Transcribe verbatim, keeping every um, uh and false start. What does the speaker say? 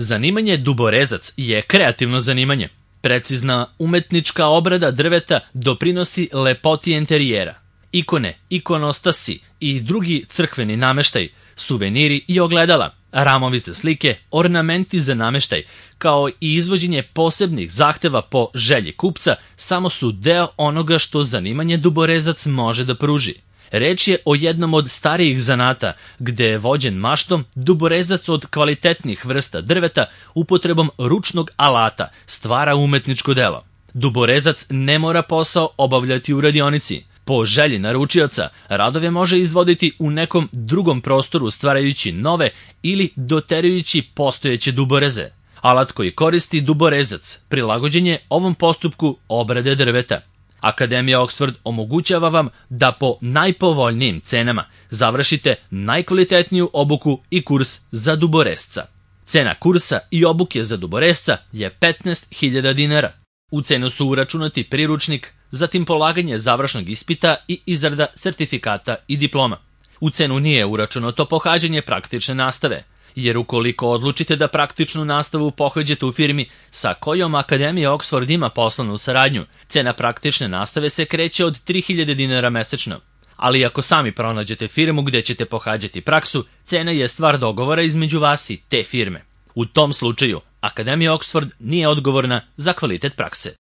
Zanimanje duborezac je kreativno zanimanje. Precizna umetnička obrada drveta doprinosi lepoti enterijera. Ikone, ikonostasi i drugi crkveni nameštaj, suveniri i ogledala, ramovi za slike, ornamenti za nameštaj, kao i izvođenje posebnih zahteva po želji kupca, samo su deo onoga što zanimanje duborezac može da pruži. Reč je o jednom od starijih zanata, gde je vođen maštom duborezac od kvalitetnih vrsta drveta upotrebom ručnog alata stvara umetničko delo. Duborezac ne mora posao obavljati u radionici. Po želji naručioca, radove može izvoditi u nekom drugom prostoru stvarajući nove ili doterujući postojeće duboreze. Alat koji koristi duborezac prilagođen je ovom postupku obrade drveta. Akademija Oxford omogućava vam da po najpovoljnijim cenama završite najkvalitetniju obuku i kurs za duborezca. Cena kursa i obuke za duborezca je petnaest hiljada dinara. U cenu su uračunati priručnik, zatim polaganje završnog ispita i izrada sertifikata i diploma. U cenu nije uračunato pohađanje praktične nastave, jer ukoliko odlučite da praktičnu nastavu pohađate u firmi sa kojom Akademija Oxford ima poslovnu saradnju, cena praktične nastave se kreće od tri hiljade dinara mesečno. Ali ako sami pronađete firmu gde ćete pohađati praksu, cena je stvar dogovora između vas i te firme. U tom slučaju, Akademija Oxford nije odgovorna za kvalitet prakse.